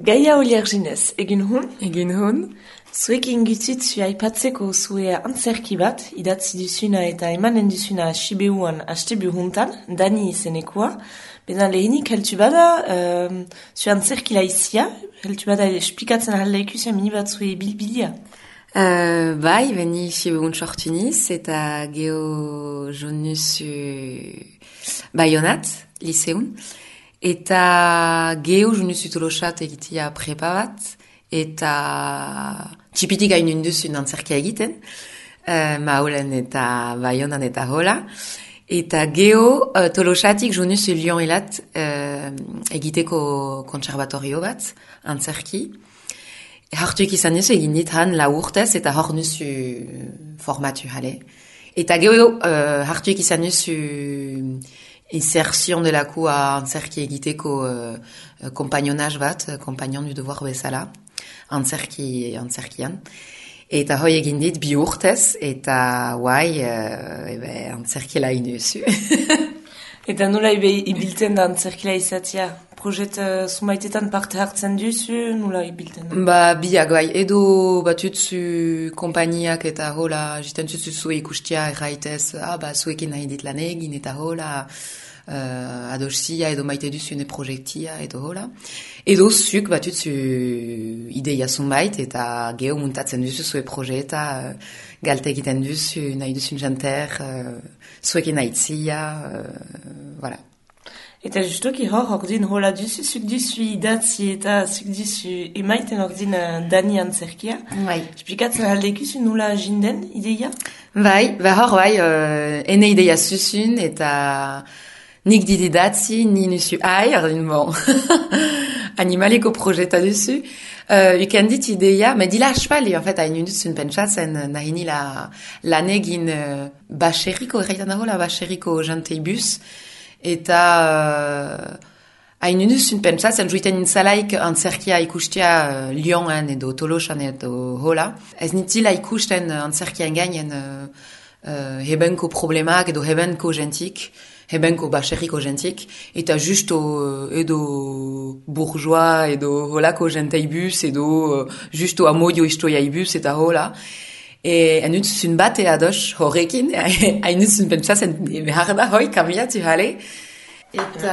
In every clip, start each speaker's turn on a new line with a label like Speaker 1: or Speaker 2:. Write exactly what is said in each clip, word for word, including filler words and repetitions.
Speaker 1: Gaia Olierginez, egin hun?
Speaker 2: Egin hun.
Speaker 1: Zuek ingutut zu aipatzeko zue antzerki bat, idatzi duzuna eta emanen duzuna Sibeuan astebu huntan, Dani izenekoa. Bena lehenik heltu bada, um, zu antzerki laizia, heltu bada esplikatzen ahalda ikusia mini bat zue bilbilia.
Speaker 2: Uh, bai, beni Sibeun sortuniz eta geho jonuz Bayonat, liseun. Eta geho jonuz utolosat egitia prepa bat, eta txipitik hainun duzun antzerkia egiten, uh, Maolen eta Bayonan eta hola. Eta geho uh, tolosatik jonuz Lyon elat uh, egiteko kontserbatorio bat, antzerki. Hartuik izan nuzu egin dit han la urtez eta hor nuzu formatu jale. Eta geho uh, hartuik izan nuzu insertion delako antzerki egiteko uh, kompagnonaz bat, kompagnon du devoir bezala, antzerki, antzerkian. Eta hoi egin dit bi urtez eta guai uh, ebe, antzerkila inuzu.
Speaker 1: Eta nola ibiltzen da antzerkila izatea? Projet uh, sumaitetan parte hartzen duzu, nola ibiltzen da?
Speaker 2: Ba, biak, bai, edo batutzu kompaniak eta hola, jiten tutzu zue ikustia erraitez, ah, ba, zuekin nahi dit lan egin eta hola, uh, adosia edo maite duzune projektia edo hola. Edo zuk batutzu ideia zunbait eta geho muntatzen duzu zue projeta, uh, galte egiten duzu, nahi duzun janter, uh, zuekin nahitzia, uh, voilà.
Speaker 1: Eta justoki hor, ordin hola duzu, zuk duzu idatzi eta zuk duzu emaiten ordin uh, Dani antzerkia.
Speaker 2: Bai.
Speaker 1: Esplikatzen aldekuzu nola jinden ideia?
Speaker 2: Bai, ba hor bai, uh, ene ideia zuzun eta nik dit idatzi, ni nuzu ai, ordin bon, animaleko projeta duzu. Uh, uken dit ideia, me dila aspali, en fait, hain duzun pentsatzen nahini la, lan egin uh, baserriko, erraitan dago la baserriko janteibus, eta uh, hain duzun pentsatzen juiten nintzalaik antzerkia ikustia uh, Lyonen edo Tolosan edo hola. Ez nitzila ikusten antzerkian gainen uh, uh, hebenko problemak edo hebenko gentik, hebenko baserriko gentik, eta justo uh, edo bourgeois edo holako genteibus edo uh, justo amoio istoiaibus eta hola. E hain duzun bate ados horrekin, hain duzun pentsatzen behar da hoi kamiatu jale. Eta,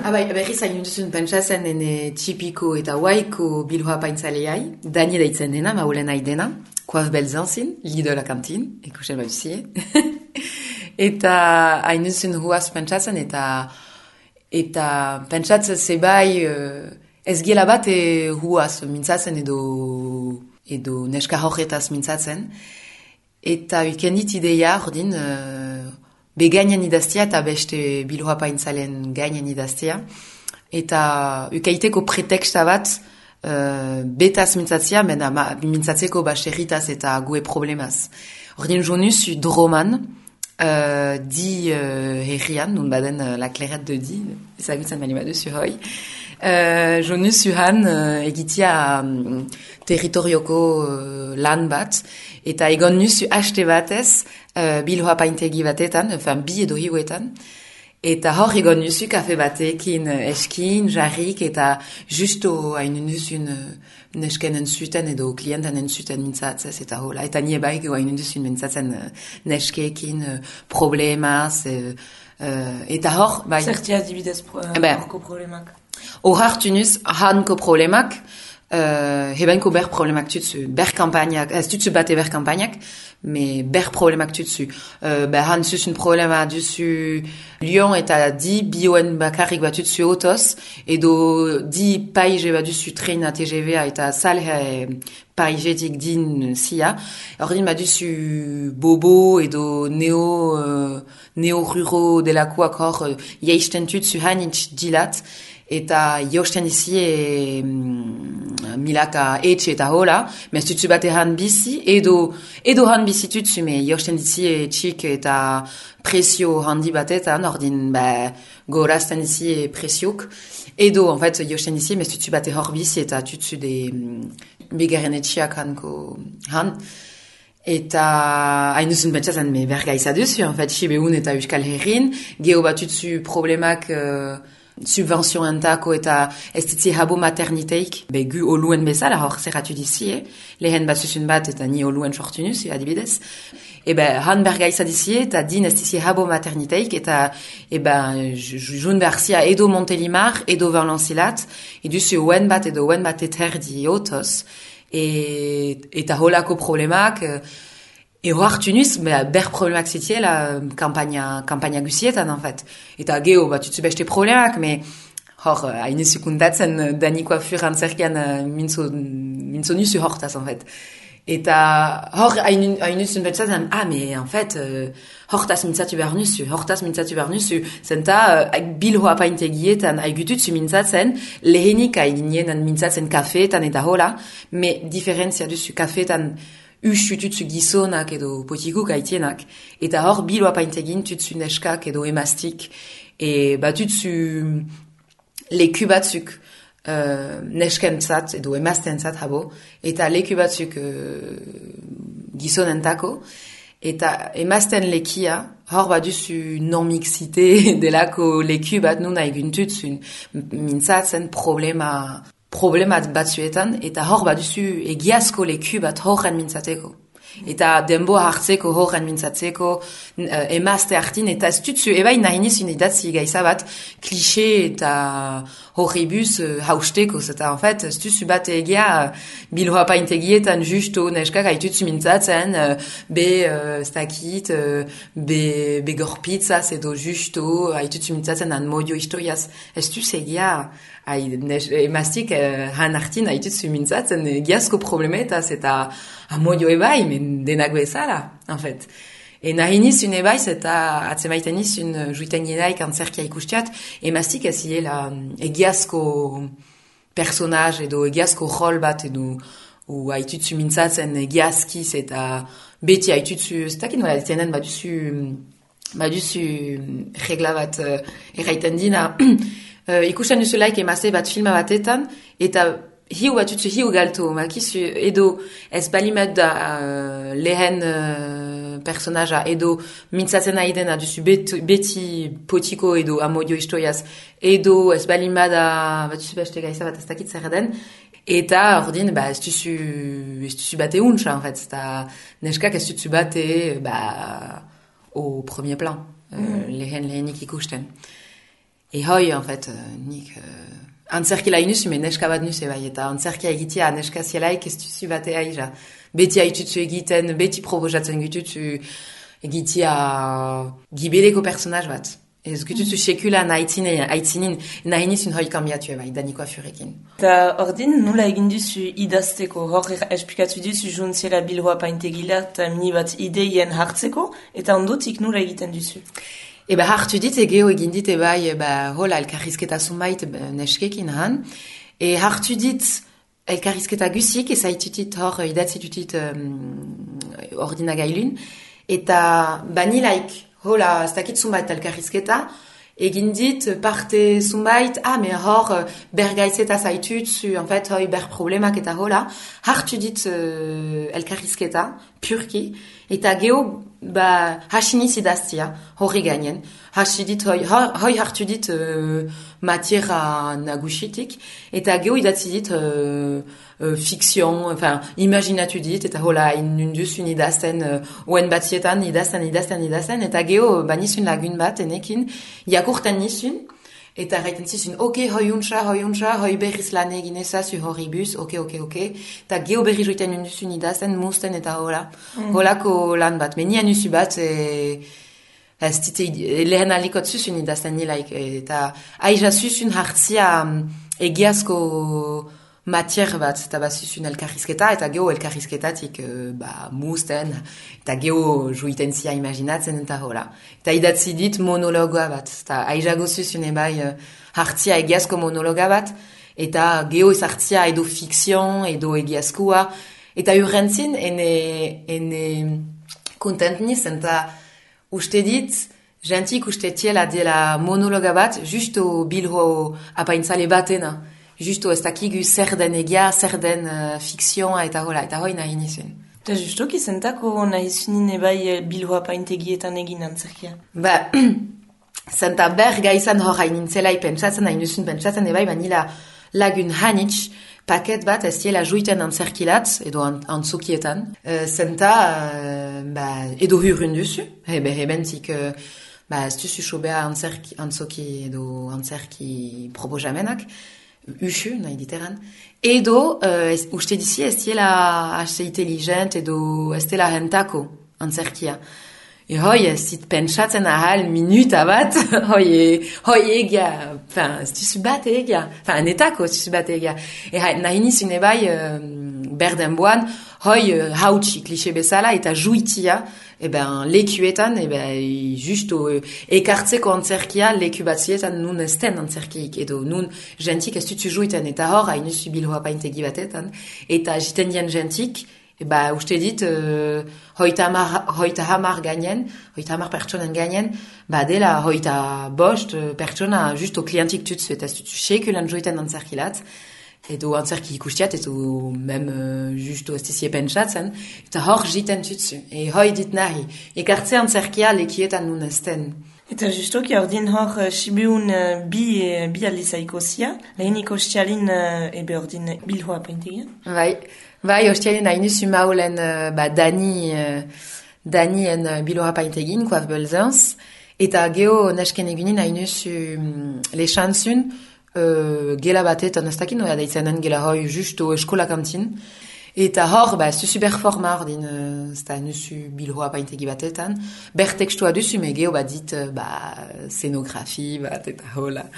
Speaker 2: abai, berriz hain duzun pentsatzen ene txipiko eta waiko bilhoa paintzaleai, Dani daitzen dena, maulen haidena, koaz belzanzin, lido la kantin, ikusen baduzie. Eta hain duzun huaz pentsatzen eta eta pentsatzen zebai uh, ez gela bat e huaz mintzatzen edo edo neska horretaz mintzatzen, eta ukendit ideia ordin uh, be gainan idaztia eta beste bilhoa paintzalen gainan idaztia, eta ukaiteko preteksta bat uh, betaz mintzatzia, mena mintzatzeko baserritaz eta gue problemaz. Ordin jonuz droman, uh, di uh, herrian, nun baden uh, la clairette de di, ezagutzen bali baduzu hoi, Uh, jonuz uhan uh, egitia um, territorioko uh, lan bat, eta egon nuzu haste batez uh, bilhoa paintegi batetan, enfin bi edo hiuetan, eta hor egon nuzu kafe batekin uh, eskin, jarrik, eta justo hain nuzun uh, nesken entzuten edo klienten entzuten mintzatzez, eta hola, eta nie baik hain nuzun mintzatzen uh, neskekin uh, problemaz, uh, uh, eta hor, bai...
Speaker 1: Zertia dibidez pro, uh, ben, horko problemak.
Speaker 2: Hor hartunuz, hanko problemak, uh, hebenko ber problemak tutsu, ber kampagnak, ez tutsu bate ber kampagnak, me ber problemak tutsu. Uh, ber han zuzun problema duzu Lyon eta di bioen bakarrik bat tutsu otoz, edo di paige bat duzu trena T G V-a eta salhe paigetik din sia. Ordin bat duzu bobo edo neo, uh, neo-ruro delakoak hor, uh, yeisten tutsu hanitz dilat, eta josten izi e, mm, milaka etxe eta hola, mez tutsu bate han bizi, edo, edo han bizi tutsu, me josten izi e txik eta presio handi batetan, ordin ba, gorazten izi e presiok, edo, en fait, josten izi, mez tutsu bate hor bizi eta tutsu de mm, begaren etxiak hanko han. Eta hain duzun pentsatzen me berga izaduzu, en fait, Sibeun eta Euskal Herrin, geho batutzu problemak... Uh, subventionentako eta ez ditzi habo materniteik, be gu oluen bezala hor zerratu dizie, lehen bat zuzun bat eta ni oluen sortu nuzi adibidez. Eba, han bergaiza dizie eta din ez dizie habo materniteik eta eba, jun berzia edo Montelimar, edo Verlancilat, eduzu oen bat edo oen bat eterdi otoz, e, eta holako problemak, ero hartu nuz, ber problemak zitiela kampaina, kampaina gusietan, en fait. Eta geho, bat tutsu beste problemak, me hor, haine sekundatzen Dani Coiffure antzerkian minzo, minzo nuzu hortaz, en fait. Eta hor, haine zun betzatzen, ah, me, en fait, uh, hortaz mintzatu behar nuzu, hortaz mintzatu behar nuzu, zenta, uh, bilho apaintegietan, haigututzu mintzatzen, lehenik haiginienan mintzatzen kafeetan eta hola, me diferentzia duzu kafeetan, usu tutsu gizonak edo potikuk haitienak, eta hor bilo apaintegin tutsu neskak edo emastik, e bat tutsu leku batzuk uh, neskentzat edo emastentzat habo, eta leku batzuk uh, gizonentako, eta emasten lekia, hor bat duzu non-mixite delako leku bat nun haigun tutsu mintzatzen problema problemat batzuetan, eta hor baduzu egiazko leku bat horren mintzateko. Eta denboa hartzeko, horren mintzatzeko, uh, emazte hartin, eta ez tutzu, ebain nahi nizun idatzi gaiza bat, klixe eta horribus uh, hausteko, eta en fait, ez tutzu bat egia, uh, bilhoa paintegietan justo neskak haitutzu mintzatzen, uh, be uh, stakit, uh, be, be gorpitzaz edo justo, haitutzu mintzatzen an modio historiaz, ez tutzu egia, emaztik uh, han hartin haitutzu mintzatzen, egiazko problemetaz, eta amodio ebai, men denak bezala, en fait. E nahi nizun ebaiz eta atzemaiten nizun juiten gedaik antzerkia ikustiat, emaztik ez hiela egiazko personaj edo egiazko rol bat edo u haitutzu mintzatzen egiazkiz eta beti haitutzu, ez dakit nola ditenen baduzu, baduzu regla bat uh, erraiten dina, uh, ikusten duzulaik emazte bat filma batetan, eta hiu bat utzu hiu galto, makizu edo ez balimat da uh, lehen uh, personaja edo mintzatzen aidena duzu beti, beti potiko edo amodio historiaz edo ez balimat da bat utzu beste gaiza bat ez dakit zer den eta ordin ba ez duzu ez duzu bate untxa en fait eta neskak ez duzu bate ba au premier plan uh, mm. lehen lehenik ikusten e hoi en fait uh, nik uh, antzerkila inuzu, me neska bat nuze bai, eta antzerkia egitea neska zielaik ez duzu batea ija. Beti haitutzu egiten, beti proposatzen gututzu egitea gibeleko personaj bat. Ez gututzu sekula haitzinin, nahi nizun hoi kambiatu bai, Dani Coiffurekin.
Speaker 1: Eta ordin, nula egin duzu idazteko, hor esplikatu duzu juntziela bilhoa paintegila eta mini bat ideien hartzeko, eta ondotik nula egiten duzu.
Speaker 2: Eba hartu dit egeo egin dit ebai eba hola elkarrizketa zunbait neskekin han. E hartu dit elkarrizketa gusik ez haitutit hor idatzitutit um, ordinagailun. Eta banilaik hola ez dakit zunbait elkarrizketa egin dit parte zunbait ah me hor bergaitzeta zaitutzu en fait hoi ber problemak eta hola hartu dit uh, elkarrizketa purki eta geo ba hasiniz idaztia horri gainen hasi dit hoi, hoi hartu dit uh, matiera nagusitik eta geo idatzi dit uh, uh, fikzion, enfin imaginatu dit eta hola inunduzun idazten uh, oen batietan idazten, idazten, idazten eta geo ba nizun lagun bat enekin jakurten nizun eta gaiten zizun, ok, hoi untsa, hoi untsa, hoi berriz lan egin ezazu horribus, ok, ok, ok, eta geo berri joiten unduzun idazten, musten eta hola, mm. holako lan bat, meni anuzu bat, e, ez dite, lehen alikot zuzun idazten nilaik, eta aiza zuzun hartzia egiazko matier bat, eta bat zuzun elkarrizketa, eta geo elkarrizketatik ba, musten, eta geo joiten zia imaginatzen eta hola. Eta idatzi dit monologoa bat, eta aizago zuzun ebai hartzia egiazko monologa bat, eta geo ez hartzia edo fikzion, edo egiazkoa, eta urrentzin, ene, ene kontent niz, eta uste dit, gentik uste tiela dela monologa bat, justo bilho apaintzale batena, justo ez dakigu zer den egia, zer den uh, fikzioa eta hola, eta hoi nahi nizun.
Speaker 1: Eta justoki zentako nahi zunin ebai bilhoa paintegietan egin antzerkia?
Speaker 2: Ba, Zenta ber gaizan hor hain nintzelai pentsatzen, hain duzun pentsatzen, ebai banila lagun hanitz, paket bat ez diela juiten antzerkilatz, edo an, antzokietan. Uh, zenta, uh, ba, edo hurrun duzu, ebe hebentik, uh, ba, ez duzu sobea antzerki, antzoki edo antzerki proposamenak, usu, nahi diteran. Edo, uh, ez, uste dizi ez diela haste intelligent edo ez dela rentako antzerkia. E hoi, ez dit pentsatzen ahal minuta bat, hoi, hoi egia, fin, ez duzu bat egia, fin, netako ez duzu bat egia. E nahi nizun ebai, uh, berden boan, hoi uh, hautsi klixe bezala eta juitia, e ben, lekuetan, e ben, justo uh, ekartzeko antzerkia leku batzietan nun esten antzerkiik, edo nun jentik ez duzu juiten, eta hor, hain duzu bilhoa paintegi batetan, eta jiten dien jentik, e ba, uste dit, uh, hoita hamar, hoita hamar gainen, hoita hamar pertsonen gainen, ba, dela hoita bost uh, pertsona justo klientik tutsu, eta ez tutsu sekulan joiten antzerkilat, edo antzerki ikustiat, edo mem uh, justo ez dizie pentsatzen, eta hor jiten tutsu, e hoi dit nahi, ekartze antzerkia lekietan nun esten.
Speaker 1: Eta justoki ordin hor uh, Sibeun uh, bi, uh, bi aldizaiko zia, lehenik ostialin uh, ebe ordin bilhoa paintegia.
Speaker 2: Bai. Bai, ostialien hain duzu maulen uh, ba, Dani, uh, Dani en uh, bilora paintegin, koaz belzanz, eta geho nesken egunin hain duzu um, lexantzun uh, gela batetan ez dakin, oia daitzenen gela hoi justo eskola kantin, eta hor, ba, ez duzu berforma ordin, uh, ez da hain duzu bilora paintegi batetan, ber tekstua duzu, me geho bat dit, uh, ba, scenografi bat, eta hola.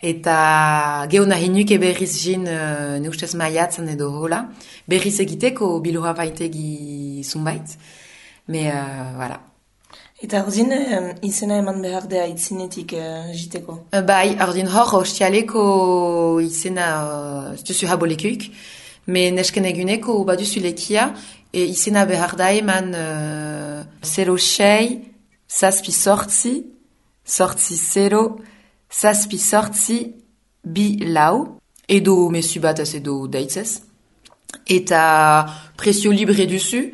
Speaker 2: Eta geho nahi nuke berriz jin uh, ne ustez maiatzen edo hola, berriz egiteko bilora paintegi zunbait, me, uh, voilà.
Speaker 1: Eta ordin um, izena eman behar dea itzinetik uh, jiteko?
Speaker 2: Uh, bai, ordin hor ostialeko izena uh, duzu habolekuik, me nesken eguneko baduzu lekia, e izena behar da eman uh, zero sei, zazpi sortzi, sortzi zero, zazpi sortzi bi lau, edo mesu bat ez edo deitzez, eta presio libre duzu,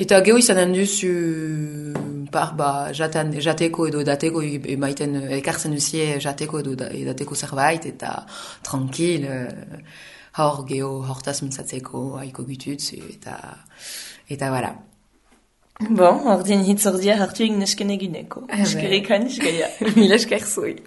Speaker 2: eta geho izanen duzu par, ba, jatan, jateko edo dateko emaiten ekartzen duzie jateko edo dateko zerbait, eta tranquil, hor geho hortaz mintzatzeko haiko gututz, eta, eta voilà.
Speaker 1: Bon, ordin hitz ordia hartu egin nesken eguneko. Eskerrik hain, eskeria.
Speaker 2: Mila esker zui.